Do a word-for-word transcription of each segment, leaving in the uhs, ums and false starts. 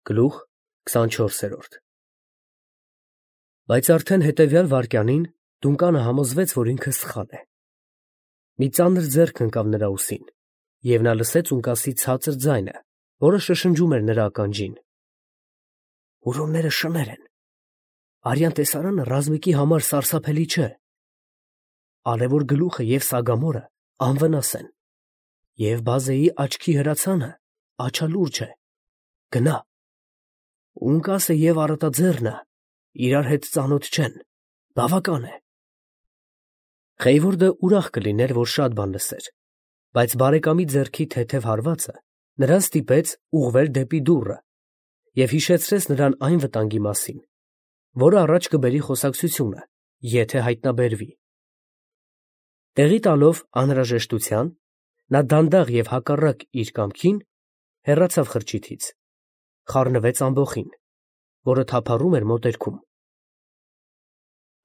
Գլուխ քսանչորսերորդ Բայց արդեն հետևյալ վայրկյանին Դունկանը համոզվեց, որ ինքը սխալ է. մի ծանր ձեռք ընկավ նրա ուսին, և նա լսեց ունկասի ցածր ձայնը, որը շշնջում էր նրա ականջին. «Հուրոնները շներ են, արյան տեսարանը ռազմիկի համար սարսափելի չէ, արևոր գլուխը և սագամորը անվնաս են, և բազեի աչքի հրացանը աչալուրջ է, գնա, ունկասը և առատաձեռնը իրար հետ ծանոթ չեն, բավական է»։ Խեյվորդը ուրախ կլիներ, որ շատ բան լսեր, բայց բարեկամի ձեռքի թեթև հարվածը նրան ստիպեց ուղղվել դեպի դուռը և հիշեցրեց նրան այն վտանգի մասին, որը առաջ կբերի խոսակցությունը, եթե հայտնաբերվի։ Տեղի տալով անհրաժեշտության, նա դանդաղ և հակառակ իր կամքին հեռացավ խրճիթից, խառնվեց ամբոխին, որը թափառում էր մոտերքում։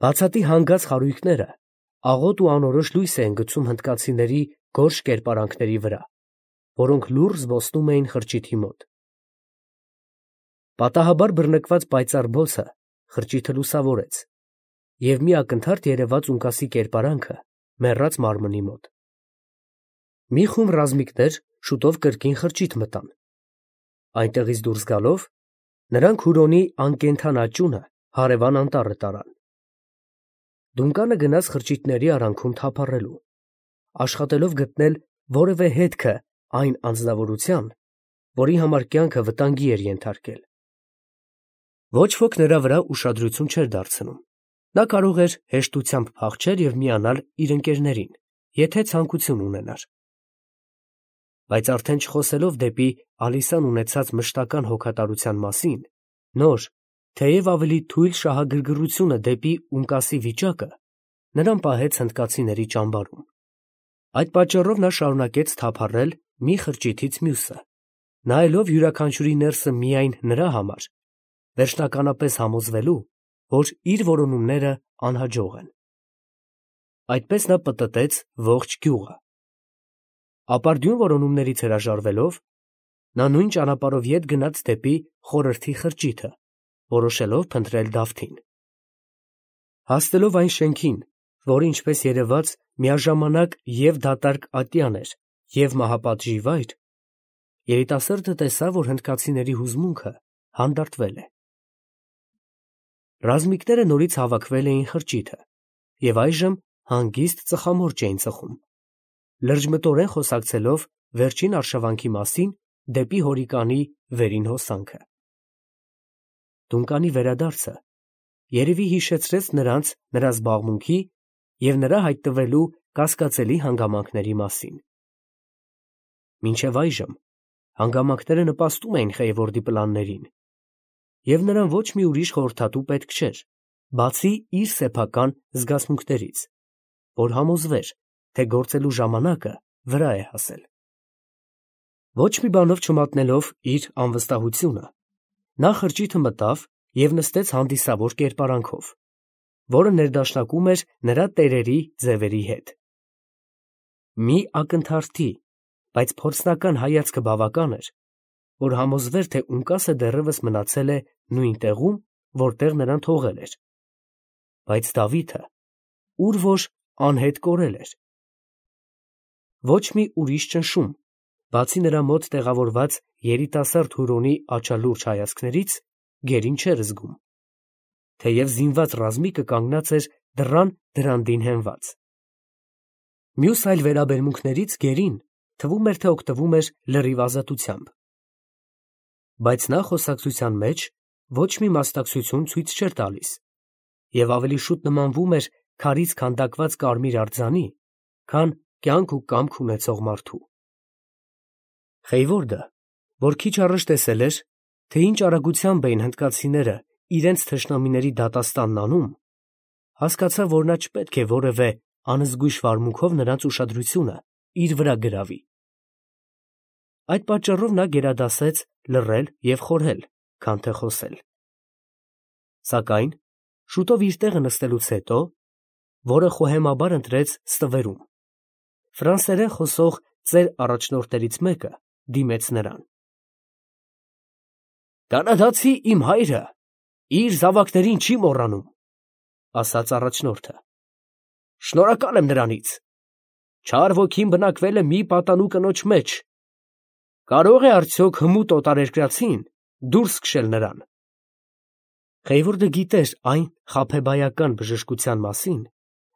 Բացատի հանգած խարույկները աղոտ ու անորոշ լույս էին գցում հնդկացիների գորշ կերպարանքների վրա, որոնք լուռ զբոսնում էին խրճիթի մոտ։ Պատահաբար բռնկված պայծառ բոցը խրճիթը լուսավորեց, և մի ակնթարթ երևաց ունկասի կերպարանքը մեռած մարմնի մոտ։ Մի խումբ ռազմիկներ շուտով կրկին խրճիթ մտան։ Այնտեղից դուրս գալով, նրանք Հուրոնի անկենդան աճյունը հարևան անտառը տարան։ Դունկանը գնաց խրճիթների արանքում թափառելու, աշխատելով գտնել որևէ հետքը այն անձնավորության, որի համար կյանքը վտանգի էր ենթարկել։ Ոչ ոք նրա վրա ուշադրություն չէր դարձնում, նա կարող էր հեշտությամբ փախչել և միանալ իր ընկերներին, եթե ցանկություն ունենար։ Բայց արդեն չխոսելով դեպի Ալիսան ունեցած մշտական հոգատարության մասին, նոր, թեև ավելի թույլ շահագրգռությունը դեպի ունկասի վիճակը նրան պահեց հնդկացիների ճամբարում։ Այդ պատճառով նա շարունակեց թափառել մի խրճիթից մյուսը, նայելով յուրաքանչյուրի ներսը միայն նրա համար, վերջնականապես համոզվելու, որ իր որոնումները անհաջող են։ Այդպես նա պտտեց ողջ գյուղը։ Ապարդյուն որոնումներից հրաժարվելով, նա նույն ճանապարհով ետ գնաց դեպի խորհրդի խրճիթը, որոշելով փնտրել Դավթին։ Հասնելով այն շենքին, որը, ինչպես երևաց, միաժամանակ և դատարկ ատյան էր, և մահապատժի վայր, երիտասարդը տեսավ, որ հնդկացիների հուզմունքը հանդարտվել է։ Ռազմիկները նորից հավաքվել էին խրճիթը և այժմ հանգիստ ծխամորճ էին ծխում, լրջմտորեն խոսակցելով վերջին արշավանքի մասին դեպի հորիկանի վերին հոսանքը։ Դունկանի վերադարձը երևի հիշեցրեց նրանց նրա զբաղմունքի և նրա հայտնվելու կասկածելի հանգամանքների մասին։ Մինչև այժմ հանգամանքները նպաստում էին Խեյվորդի պլաններին, և նրան ոչ մի ուրիշ խորհրդատու պետք չէր, բացի իր սեփական զգացմունքներից, որ համոզվեր, թե գործելու ժամանակը վրա է հասել։ Ոչ մի բանով չմատնելով իր անվստահությունը, նա խրճիթը մտավ և նստեց հանդիսավոր կերպարանքով, որը ներդաշնակում էր նրա տերերի ձևերի հետ։ Մի ակնթարթի, բայց փորձնական հայացքը բավական էր, որ համոզվեր, թե ունկասը դեռևս մնացել է նույն տեղում, որտեղ նրան թողել էր, բայց Դավիթը ուր որ անհետ կորել էր։ Ոչ մի ուրիշ ճնշում, բացի նրա մոտ տեղավորված երիտասարդ Հուրոնի աչալուրջ հայացքներից, գերին չէր զգում, թեև զինված ռազմիկը կանգնած էր դռան դրանդին հենված։ Մյուս այլ վերաբերմունքներից գերին թվում էր, թե օգտվում էր լրիվ ազատությամբ։ Բայց նա խոսակցության մեջ ոչ մի մասնակցություն ցույց չէր տալիս և ավելի շուտ նմանվում էր քարից քանդակված կարմիր արձանի, քան կյանք ու կամք ունեցող մարդու։ Խեյվորդը, որ քիչ առաջ տեսել էր, թե ինչ արագությամբ էին հնդկացիները իրենց թշնամիների դատաստանն անում, հասկացավ, որ նա չպետք է որևէ անզգույշ վարմունքով նրանց ուշադրությունը իր վրա գրավի։ Այդ պատճառով նա գերադասեց լռել և խորհել, քան թե խոսել։ Սակայն շուտով իր տեղը նստելուց հետո, որը խոհեմաբար ընտրեց ստվերում, ֆրանսերեն խոսող ծեր առաջնորդներից մեկը դիմեց նրան։ Կանադացի իմ հայրը իր զավակներին չի մոռանում, ասաց առաջնորդը։ Շնորհակալ եմ նրանից։ Չար ոգին բնակվել է մի պատանու կնոջ մեջ։ Կարող է արդյոք հմուտ օտարերկրացին դուրս քշել նրան։ Խեյվորդը գիտեր այն խաբեբայական բժշկության մասին,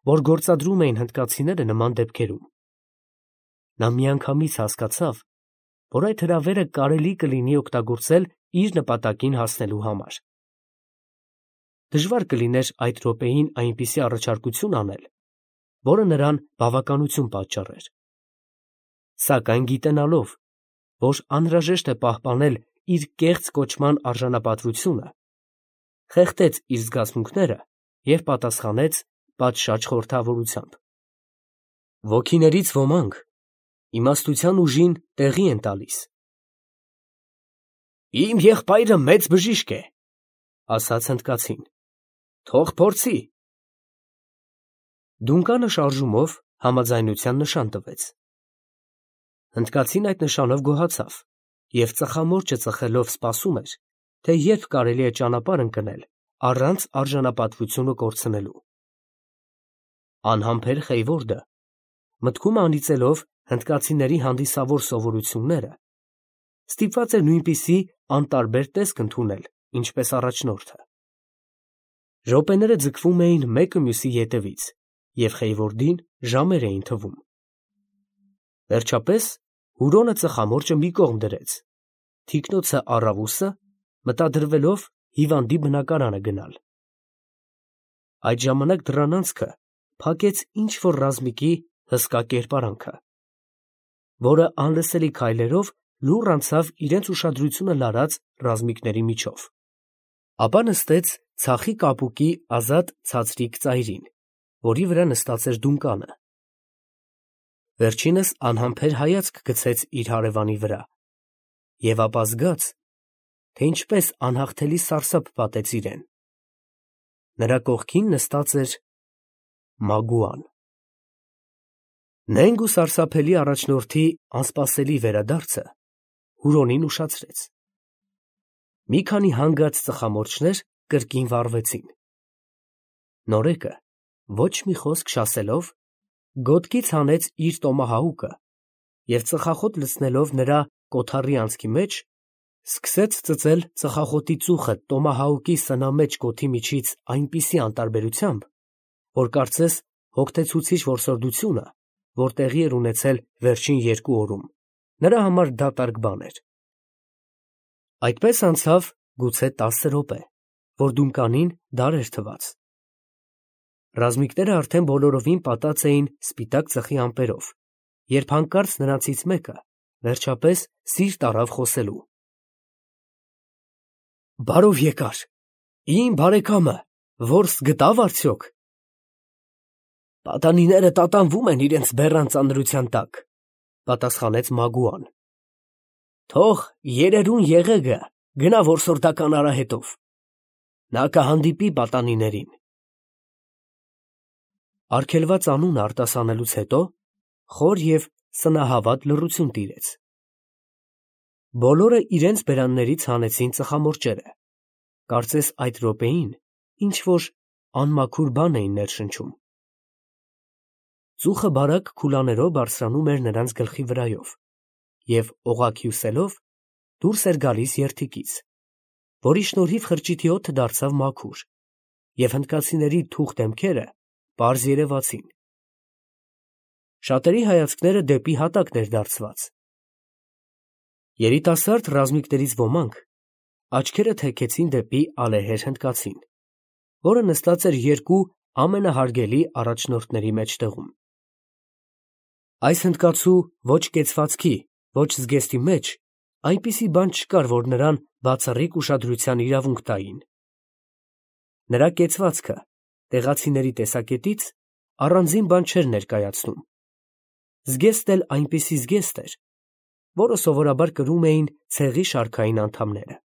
որ գործադրում էին հնդկացիները նման դեպքերում։ Նա միանգամից հասկացավ, որ այդ հրավերը կարելի կլինի օգտագործել իր նպատակին հասնելու համար։ Դժվար կլիներ այդ րոպեին այնպիսի առաջարկություն անել, որը նրան բավականություն պատճառեր։ Սակայն գիտենալով, որ անհրաժեշտ է պահպանել իր կեղծ կոչման արժանապատվությունը, խեղդեց իր զգացմունքները և պատասխանեց պատշաճ խորհրդավորությամբ. Ոգիներից ոմանք իմաստության ուժին տեղի են տալիս։ Իմ եղբայրը մեծ բժիշկ է, ասաց հնդկացին, թող փորձի։ Դունկանը շարժումով համաձայնության նշան տվեց։ Հնդկացին այդ նշանով գոհացավ և ծխամորճը ծխելով սպասում էր, թե երբ կարելի է ճանապարհ ընկնել առանց արժանապատվությունը կորցնելու։ Անհամբեր Խեյվորդը, մտքում անիծելով հնդկացիների հանդիսավոր սովորությունները, ստիպված էր նույնպիսի անտարբեր տեսք ընդունել, ինչպես առաջնորդը։ Րոպեները ձգվում էին մեկը մյուսի ետևից, և Խեյվորդին ժամեր էին թվում։ Վերջապես Հուրոնը ծխամորճը մի կողմ դրեց, թիկնոցը առավ ուսը, մտադրվելով հիվանդի բնակարանը գնալ։ Այդ ժամանակ դռան անցքը փակեց ինչ-որ ռազմիկի հսկա կերպարանքը, որը անլսելի քայլերով լուռ անցավ իրենց ուշադրությունը լարած ռազմիկների միջով, ապա նստեց ցախի կապուկի ազատ ցածրիկ ծայրին, որի վրա նստած էր դունկանը։ Վերջինս անհամբեր հայացք գցեց իր հարևանի վրա և ապա զգաց, թե ինչպես անհաղթելի սարսափ պատեց իրեն։ Նրա կողքին նստած էր Մագուան։ Նենգ ու սարսափելի առաջնորդի անսպասելի վերադարձը Հուրոնին ուշացրեց։ Մի քանի հանգած ծխամորճներ կրկին վառվեցին։ Նորեկը, ոչ մի խոսք չասելով, գոտկից հանեց իր տոմահաուկը և ծխախոտ լցնելով նրա կոթառի անցքի մեջ, սկսեց ծծել ծխախոտի ծուխը տոմահաուկի սնամեջ կոթի միջից այնպիսի անտարբերությամբ, որ կարծես հոգնեցուցիչ որսորդությունը, որ տեղի էր ունեցել վերջին երկու օրում, նրա համար դատարկ բան էր։ Այդպես անցավ գուցե տասը րոպե, որ դունկանին դարեր թվաց։ Ռազմիկները արդեն բոլորովին պատած էին սպիտակ ծխի ամպերով, երբ հանկարծ նրանցից մեկը վերջապես սիրտ առավ խոսելու։ Բարով եկար, իմ բարեկամը որս գտավ արդյոք։ Պատանիները տատանվում են իրենց բեռան ծանրության տակ, պատասխանեց Մագուան։ Թող երերուն եղեգը գնա որսորդական արահետով, նա կհանդիպի պատանիներին։ Արգելված անունը արտասանելուց հետո խոր և սնահավատ լռություն տիրեց։ Բոլորը իրենց բերաններից հանեցին ծխամորճերը, կարծես այդ րոպեին ինչ-որ անմաքուր բան էին ներշնչում։ Ծուխը բարակ քուլաներով բարձրանում էր նրանց գլխի վրայով և օղակ հյուսելով դուրս էր գալիս երդիկից, որի շնորհիվ խրճիթի օդը դարձավ մաքուր, և հնդկացիների թուխ դեմքերը պարզ երևացին։ Շատերի հայացքները դեպի հատակն էր դարձված։ Երիտասարդ ռազմիկներից ոմանք աչքերը թեքեցին դեպի ալեհեր հնդկացին, որը նստած էր երկու ամենահարգելի առաջնորդների մեջտեղում։ Այս հնդկացու ոչ կեցվածքի, ոչ զգեստի մեջ այնպիսի բան չկար, որ նրան բացառիկ ուշադրության իրավունք տային։ Նրա կեցվածքը տեղացիների տեսակետից առանձին բան չէր ներկայացնում։ Զգեստ էլ այնպիսի զգեստ էր, որը սովորաբար կրում էին ցեղի շարքային անդամները։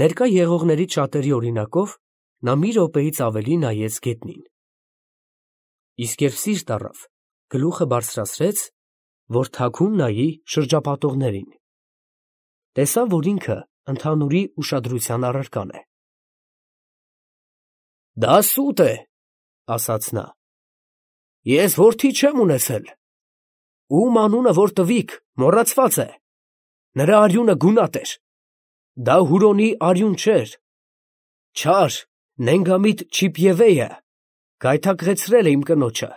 Ներկա եղողներից շատերի օրինակով նա մի րոպեից ավելի նայեց գետնին։ Իսկ երբ սիրտ առավ, գլուխը բարձրացրեց, որ թաքուն նայի շրջապատողներին։ Տեսավ, որ ինքը ընդհանուրի ուշադրության առարկան է։ Դա սուտ է, ասաց նա։ Ես որդի չեմ ունեցել։ Ում անունը որ տվիք, մոռացված է։ Նրա արյունը գունատ էր։ Դա Հուրոնի արյուն չէր։ Չար, նենգամիտ Չիպևեյը գայթակղեցրել է իմ կնոջը։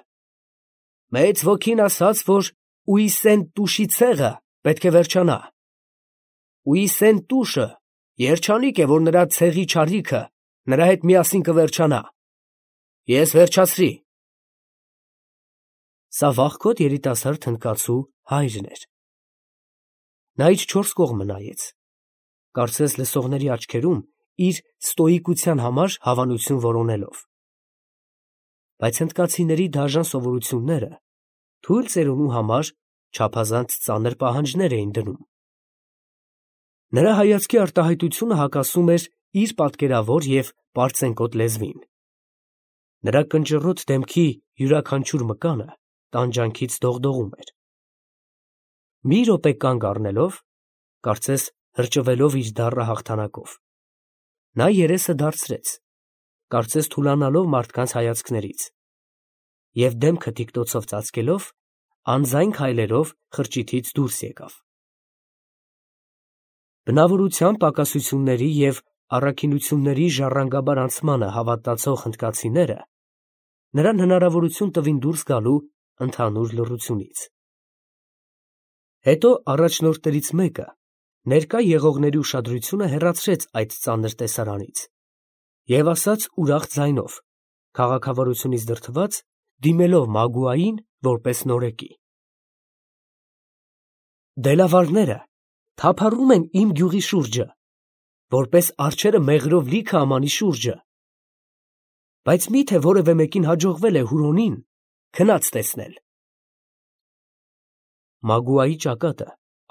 Մեծ ոգին ասաց, որ Ուիսեն Տուշի ցեղը պետք է վերջանա։ Ուիսեն Տուշը երջանիկ է, որ նրա ցեղի չարիքը նրա հետ միասին կվերջանա։ Ես վերջացրի։ Սա վախկոտ երիտասարդ հնդկացու հայրն էր։ Նա իր չորս կողմը նայեց, կարծես լսողների աչքերում իր ստոիկության համար հավանություն որոնելով։ Բայց հնդկացիների դաժան սովորությունները թույլ ծերունու համար չափազանց ծանր պահանջներ էին դնում։ Նրա հայացքի արտահայտությունը հակասում էր իր պատկերավոր և պարծենկոտ լեզվին։ Նրա կնճռոտ դեմքի յուրաքանչյուր մկանը տանջանքից դողդողում էր։ Մի րոպե կանգ առնելով, կարծես հրճվելով իր դառը հաղթանակով, նա երեսը դարձրեց, կարծես թուլանալով մարդկանց հայացքներից, և դեմքը թիկնոցով ծածկելով, անձայն քայլերով խրճիթից դուրս եկավ։ Բնավորության պակասությունների և առաքինությունների ժառանգաբար անցմանը հավատացող հնդկացիները նրան հնարավորություն տվին դուրս գալու ընդհանուր լռությունից։ Հետո առաջնորդներից մեկը ներկա եղողների ուշադրությունը հեռացրեց այդ ծանր տեսարանից և ասաց ուրախ ձայնով, քաղաքավարությունից դրդված, դիմելով Մագուային որպես նորեկի. Դելավարները թափառում են իմ գյուղի շուրջը, որպես արջերը մեղրով լիքը ամանի շուրջը, բայց մի՞թե որևէ մեկին հաջողվել է Հուրոնին քնած տեսնել։ Մագուայի ճակատը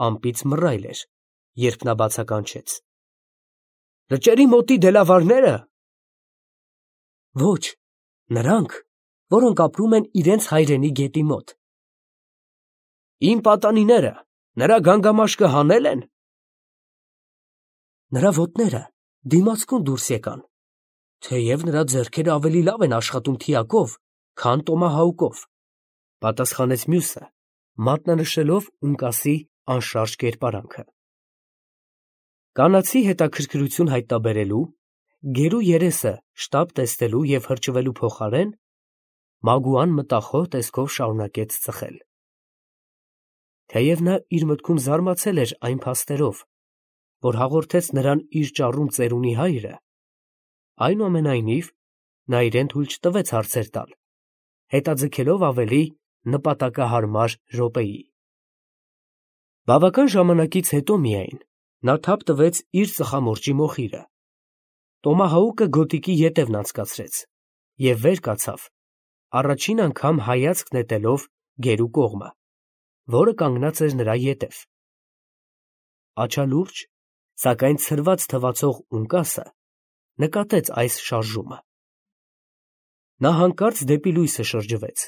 անպից մռայլ էր, երբ նա բացականչեց. Լճերի մոտի դելավարնե՞րը։ Ոչ, նրանք, որոնք ապրում են իրենց հայրենի գետի մոտ։ Իմ պատանիները նրա գանգամաշկը հանե՞լ են։ Նրա ոտները դիմացկուն դուրս եկան, թեև նրա ձեռքերը ավելի լավ են աշխատում թիակով, քան տոմահաուկով, պատասխանեց մյուսը, մատնանշելով ունկասի անշարժ կերպարանքը։ Կանացի հետաքրքրություն հայտնաբերելու, գերու երեսը շտապ տեսնելու և հրճվելու փոխարեն, Մագուան մտախոհ տեսքով շարունակեց ծխել։ Թեև նա իր մտքում զարմացել էր այն փաստերով, որ հաղորդեց նրան իր ճառում ծերունի հայրը, այնուամենայնիվ նա իրեն թույլ չտվեց հարցեր տալ, հետաձգելով ավելի նպատակահարմար րոպեի։ Բավական ժամանակից հետո միայն նա թափ տվեց իր ծխամորճի մոխիրը, տոմահաուկը գոտիքի ետևն անցկացրեց և վեր կացավ, առաջին անգամ հայացք նետելով գերու կողմը, որը կանգնած էր նրա ետև։ Աչալուրջ, սակայն ցրված թվացող ունկասը նկատեց այս շարժումը։ Նա հանկարծ դեպի լույսը շրջվեց։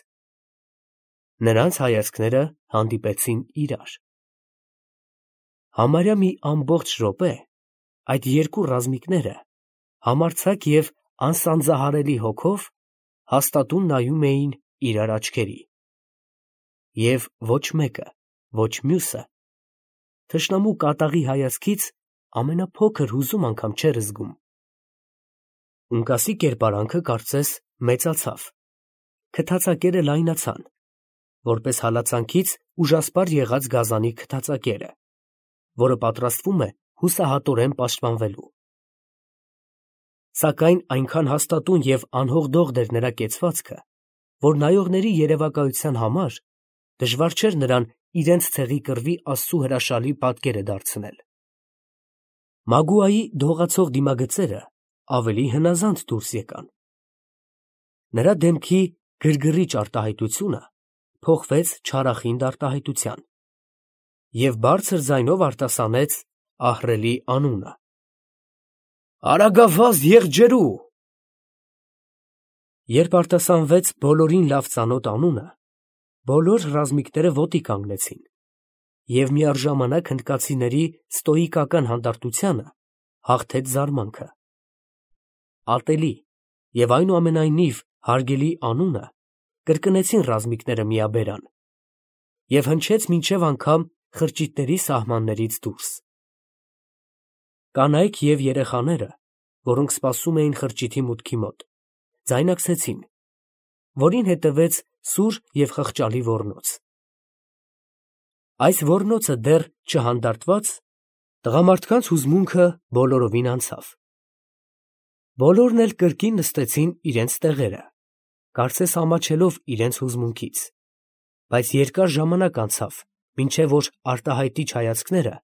Նրանց հայացքները հանդիպեցին իրար։ Համարյա մի ամբողջ րոպե այդ երկու ռազմիկները համարձակ և անսանձահարելի հոգով հաստատուն նայում էին իրար աչքերի, և ոչ մեկը, ոչ մյուսը թշնամու կատաղի հայացքից ամենափոքր հուզում անգամ չէր զգում։ Ունկասի կերպարանքը կարծես մեծացավ, քթածակերը լայնացան, որպես հալածանքից ուժասպառ եղած գազանի քթածակերը, որը պատրաստվում է հուսահատորեն պաշտպանվելու։ Սակայն այնքան հաստատուն և անհողդողդ էր նրա կեցվածքը, որ նայողների երևակայության համար դժվար չէր նրան իրենց ցեղի կռվի աստծու հրաշալի պատկերը դարձնել։ Մագուայի դողացող դիմագծերը ավելի հնազանդ դուրս եկան։ Նրա դեմքի գրգռիչ արտահայտությունը փոխվեց չարախինդ արտահայտության և բարձր ձայնով արտասանեց ահռելի անունը. Արագավազդ եղջերու։ Երբ արտասանվեց բոլորին լավ ծանոթ անունը, բոլոր ռազմիկները ոտի կանգնեցին, և միառժամանակ հնդկացիների ստոիկական հանդարտությանը հաղթեց զարմանքը։ Ատելի և այնուամենայնիվ հարգելի անունը կրկնեցին ռազմիկները միաբերան և հնչեց մինչև անգամ խրճիթների սահմաններից դուրս։ Կանայք և երեխաները, որոնք սպասում էին խրճիթի մուտքի մոտ, ձայնարկեցին, որին հետևեց սուր և խղճալի ոռնոց։ Այս ոռնոցը դեռ չհանդարտված, տղամարդկանց հուզմունքը բոլորովին անցավ։ Բոլորն էլ կրկին նստեցին իրենց տեղերը, կարծես ամաչելով իրենց հուզմունքից, բայց երկար ժամանակ անցավ, մինչև որ արտահայտիչ հայացքները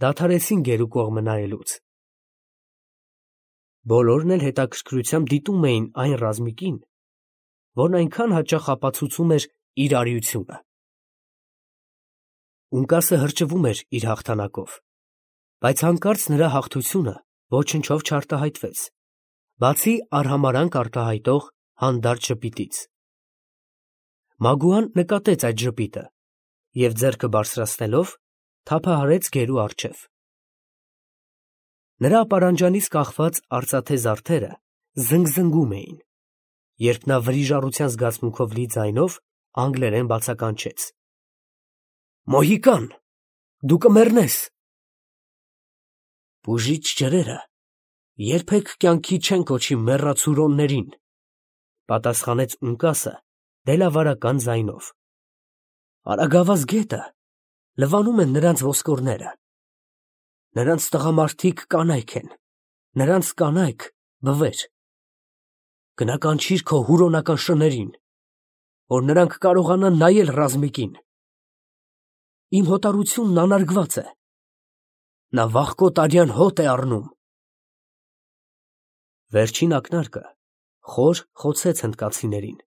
դադարեցին գերու կողմը նայելուց։ Բոլորն էլ հետաքրքրությամբ դիտում էին այն ռազմիկին, որն այնքան հաճախ ապացուցում էր իր արիությունը։ Ունկասը հրճվում էր իր հաղթանակով, բայց հանկարծ նրա հաղթությունը ոչնչով չարտահայտվեց, բացի արհամարհանք արտահայտող հանդարտ ժպիտից։ Մագուան նկատեց այդ ժպիտը և ձեռքը բարձրացնելով թափահարեց գերու առջև։ Նրա ապարանջանից կախված արծաթե զարդերը զնգզնգում էին, երբ նա վրիժառության զգացմունքով լի ձայնով անգլերեն բացականչեց. «Մոհիկան, դու կմեռնես»։ «Բուժիչ ջրերը երբեք կյանքի չեն կոչի մեռածուրոններին», պատասխանեց Ունկասը դելավարական ձայնով։ «Արագավազ գետը լվանում են նրանց ոսկորները։ Նրանց տղամարդիկ կանայք են, նրանց կանայք բվեր։ Գնա կանչիր քո հուրոնական շներին, որ նրանք կարողանան նայել ռազմիկին։ Իմ հոտառությունն անարգված է, նա վախկոտ արյան հոտ է առնում»։ Վերջին ակնարկը խոր խոցեց հնդկացիներին։